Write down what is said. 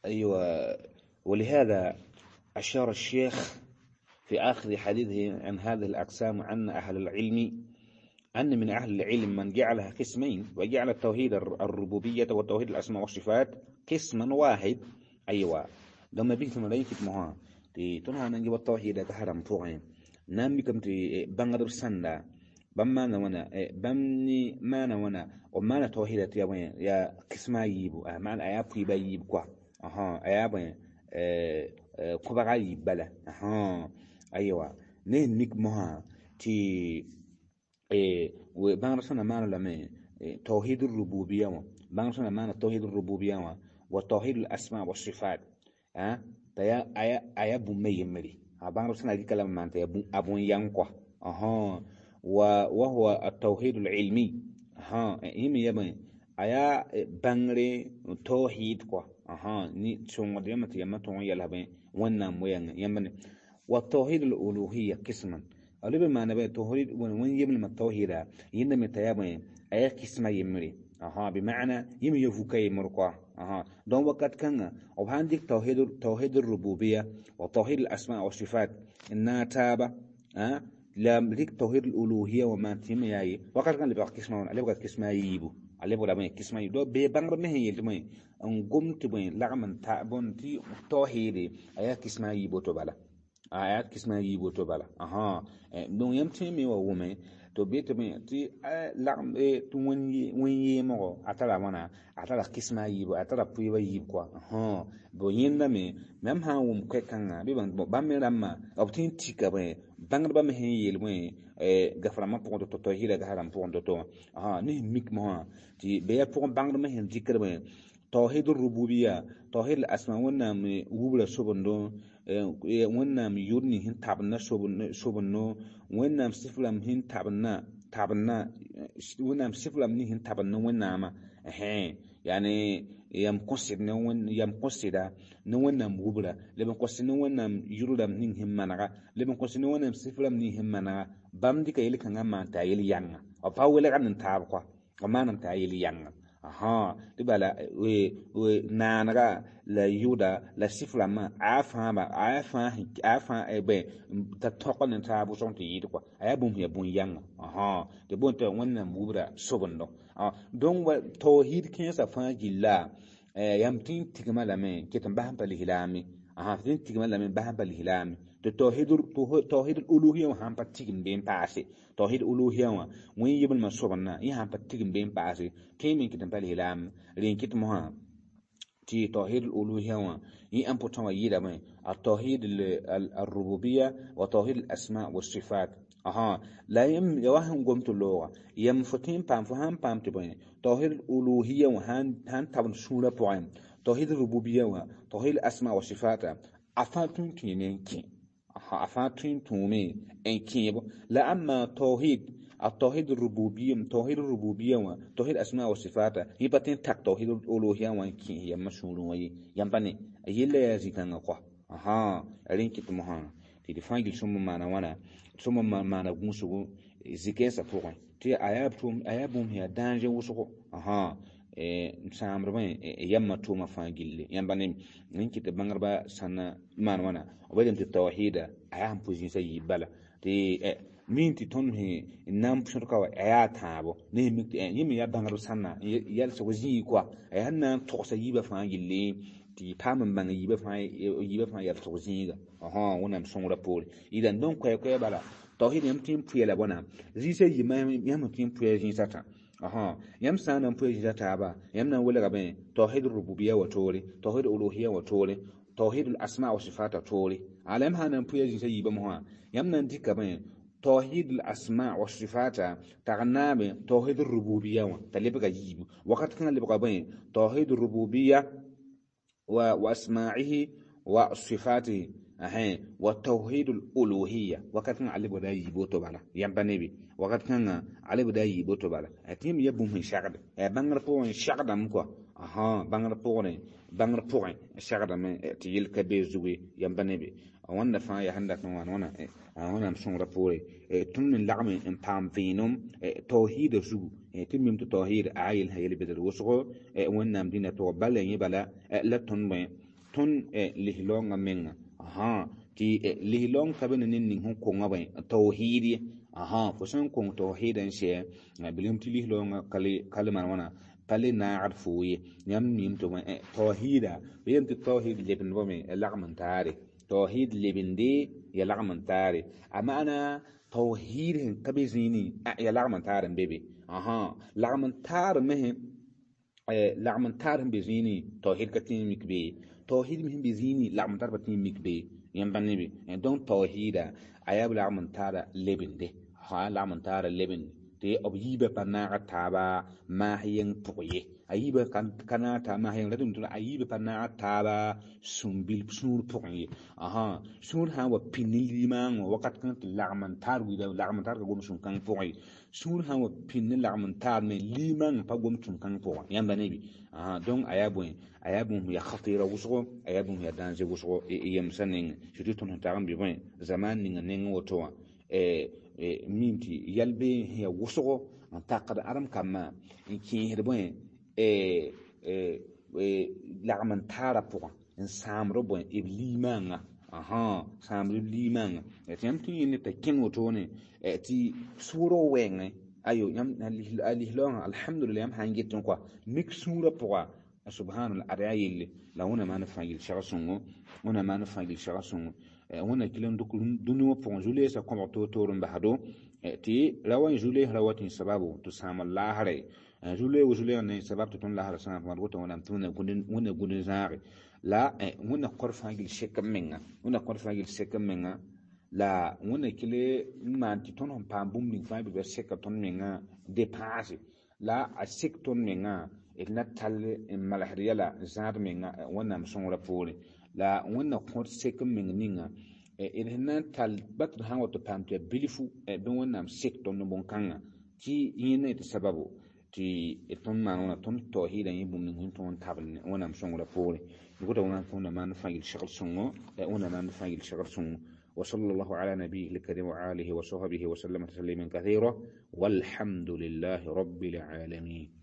أيوة. ولهذا أشار الشيخ في آخر حديثه عن هذه الأقسام أن أهل العلم أن من أهل العلم من جعلها قسمين، وجعل التوحيد الربوبية وتوحيد الأسماء والصفات قسما واحد. أيوة، لما بيت ملايكة مها تي تنها نجيب التوحيد كهرم فوقين نامي كم تي بانغرب سندا بما نوانا بمني ما نوانا وما نتوحيد يا وين يا قسما يبو معنى أيا بيبا يب كوا أها أيا بين كوبا يب بلا أها. أيوة، نين ميك مها تي بانغرب سنة ما لما توحيد الربوبية بانغرب سنة ما توحيد الربوبية وتوحيد الأسماء والصفات تيا أيا أيا بومي يمري بانغرب سنة دي كلام ما أنت أبون ينقى أها. وهو التوحيد العلمي ها يمي يبين أيا بانغري توحيد كوا أها ني تشون ديما تيما تون يلا بين ونام وين يمني. والتوحيد الألوهية قسما ألو بما نبي توحيد وين يبني ما التوحيد يندم تيابين أيا قسما يمري أها بمعنى يمي يفوكي مرقوا أها دون وقت كان أو عندك توحيد الربوبية وتوحيد الأسماء والصفات إنها تابة لا ليك توحيد الألوهية وما تيم ياي وقت كان لبقى قسمة على بقى قسمة يبو على بقى لبقى قسمة يبو ببانغ ما هي تمي أنقوم تبين لعمن تعبون تي توحيد أيا قسمة يبو تبلا أيا قسمة يبو تبلا أها دون يمتي وومي to be to me ti lagm tɩ wẽn-yeemgo a tara wãna a tara kɩsma a yiibu a tara pʋɩɩba yiib kɔa bo yẽnda me mam sã n wʋm koɛ-kãngã bɩ bãmb me rãmbã b tõe n tika bõe bãngdbã me sẽn yeel bõe gafrãmbã pʋgẽ to-to tawhiida gasrãmb pʋgẽ to-to wã ne sẽn mik mosã tɩ be yaa pʋgẽ bãngdbã sẽn dɩkd bõe توحيد الربوبية توحيد الأسماء ونام وبلا سبندو ونام يورني هن تابنا سبندو ونام سفلم هن تابنا ونام سفلم هن تابنا ونام يعني يم قصد نون يم قصد نونام وبلا لبن قصد نونام يورلم هن هم منغا لبن قصد نونام سفلم هن منغا بام ديك يلي كان ما تايل يانغ أو باولي عن تابقوا وما نم تايل يانغ aha tɩ bala naanega la yʋʋda la sɩf-rãmbã a fãaba a fãa bẽ t'a tõg ne taab wʋsg tɩ yɩɩd kɔa a yaa bũmb sẽn yaa bũn-yãnga tɩ boond tɩ Wẽnnaam wubra sobendo donc tawhiid kẽensã fãa gilla yãmb tɩ n tigma lame ket n bas n pa lislaame tɩ n tigma lame n bas n pa lislaame tɩ tawhid uluhiya wã sãn pa tigim bee n paase tawhid uluhiya wã wẽn yiblemã sobendã yẽ sãn pa tigim bee n paase tõe me n ket n pa lislaam rẽ n kɩt mosã tɩ tawhid uluhiya wã yẽ important wã yɩɩdame التوحيد الربوبية وتوحيد الأسماء والصفات لا يم يوهم قمت اللغة يم فتين بام فهم بام تبين توحيد الألوهية وهان هان تبن سورة بوين توحيد الربوبية وتوحيد الأسماء والصفات أفاتون تينين كي أفاتون تومي إن كي لا أما التوحيد الربوبية توحيد الربوبية وتوحيد الأسماء والصفات هي بتين تك توحيد الألوهية وإن كي هي مشهور وي ينبني يلا يزيدنا قه أرين كتمها تلفان جل سمو معنا وانا سمو معنا غوسو زكاسة فوق تي أيابتم أيابهم هي دانجة وسقو n sãamd bõe yãmba tʋʋmã fãa gilli yãmba ne n kɩt bãngdbã sãn maan wãna b yelame tɩ tawhiida a yaa sẽn pʋ zĩisã yiib bala tɩ min tɩ tõnd sẽn na n sõdka wa a yaa tãabo ne sẽn mik tɩ yẽ me yaa bãngdb sãnna yɛlsg zĩig koa a yaa sẽn na n togsa yiibã fãa gilli tɩ paam n bãng yiibã fãa yɛlsg zĩiga Wẽnnaam sõngrã poore yɩla n dõn koɛɛ-koɛɛ bala tawhiid yãmb tɩ n pʋɩ la bõna zĩisã yiibã yãmb tɩ n pʋɩ zĩisã tã yãmb sã n na n pʋɩ zĩisã taaba yãmb na n welga bẽ tawhid rububiya wa toore tawhid uluhiya wa toore tawhid al-asma wa sifat toore ala yãmb sã n na n pʋɩ zĩisã yiibã mosã yãmb na n dɩka bẽ توحيد الأسماء والصفات تغنى توحيد الربوبية تلبغى يجيب وقت كان لبغى بين توحيد الربوبية وأسماعه وصفاته وتوحيد الألوهية وقت كان علي بدا يبوتو بالا ينبني بي وقت كان علي بدا يبوتو بالا أتيم يبوم من شغل بانغر بون شغل مكوا بانغر بون بانغر بون شغل من تيل كبير زوي ينبني بي wãnda fãa yaa sẽn dat n wãn wãna Wẽnnaam sõngrã poore tõnd me lagm n paam vẽenem tawhiida zugu tɩ mim tɩ tawhiid a yel sã yel-bɩdr wʋsgo Wẽnnaam dĩnã pʋgẽ bala yẽ bala la tõnd bõe Tõnd lislaoongã menga tɩ lislaoong ka be ne ned ning sẽn konga bõe tawhiid ye. Fo sẽn kong tawhiidã n sɛ bilem tɩ lislaoongã ka le maan wãna pa le naagd foo ye. Yãmb miime tɩ bõe tawhiida b yeelame tɩ tawhiid lebendbame lagm n taare, tawhiid lebende ya lagm n taare. A maana tawhiid sẽn ka be zĩini ya lagm n taar n be be. Lagm n taar me lagm n taar sẽn be zĩini tawhiid ka tẽ n mik be, tawhiid me sẽn be zĩini lagm n taar pa tẽ n mik be. Yãmb pa ne be. Donc tawhiida a yaa b lagm n taara lebende, lagm n taara lebende tɩ b yiibã pa naag taaba maas yeng pʋg ye. A yiibã ka naag taaba maas yeng ratɩ a yiibã pa naag taaba sũur-bil sũur pʋgẽ ye. Sũur sã n wa pĩnd ne limaangõ wakat kãng tɩ lagm n taar wilga lagm n taar ka gom sũn-kãng pʋgẽ ye. Sũur sã n wa pĩnd ne lagm n taar me limaangã pa gom sũn-kãng pʋgẽ. Yãmba ne bɩ? Donc a yaa bõe, a yaa bũmb yaa khatira wʋsgo, a yaa bũmb yaa danger wʋsgo yemsã nengẽ, surtout tõnd sẽn tag n bɩ bõe zaman ninga nengẽ woto wã mim tɩ yɛl bee sẽn yaa wʋsgo n takd ãdem kambã n kẽesd bõe lagm n taarã pʋgã n sãamd bõe b limaangã, sãamd b limaangã. Tɩ yãmb tɩ yẽnde t'a kẽnd wotone tɩ sʋʋrg wɛɛngẽ ayo yãmb a lislaoongã alhamdulillah yãmb sã n get n koa mik sũurã pʋga subhanallah ad yaa yelle la wẽnna maan fãa yel sɛg sõngo, wẽnna maan fãa yel sɛg sõngo. Wẽnna kɩl n dʋk dũni wã pʋgẽ zu-leesã kõbg toor-toor n basdo tɩ ra wa n zu-lees ra wa tɩ n sababu tɩ sãam laasre zu-leeg wa zu-leeg ne sabab tɩ tõnd laasra sãam pʋgã woto wẽnnaam tɩ wẽnna gũud n zãage la wẽnna kõr fãa gill sek n menga, wẽnna kõr fãa gill sek n menga la wẽnna kɩl n maan tɩ tõnd sẽn paam bũmb ning fãa bɩ seka tõnd mengã depaase la a sek tõnd mengã d na tall n malsd yɛla n zãad menga wẽnnaam sõngrã poorẽ la wẽnna kõt sek n meng ninga d sẽn na n tall ba tɩ d sã n wa tɩ paam tɩ yaa bilfu bɩ wẽnnaam sek tõnd bõn-kãngã tɩ yẽnda yetɩ sababu tɩ tõnd maan wãna tõnd tawhiidã yẽ bũmb ning sẽn tõog n tabl wẽnnaam sõngrã poorẽ. Gota wẽnnaam maan fãa yel segl sõngo, wẽnnaam maan fãa yel segl sõngo. وصلى الله على نبيه الكريم وآله وصحبه وسلم تسليما كثيرا والحمد لله رب العالمين.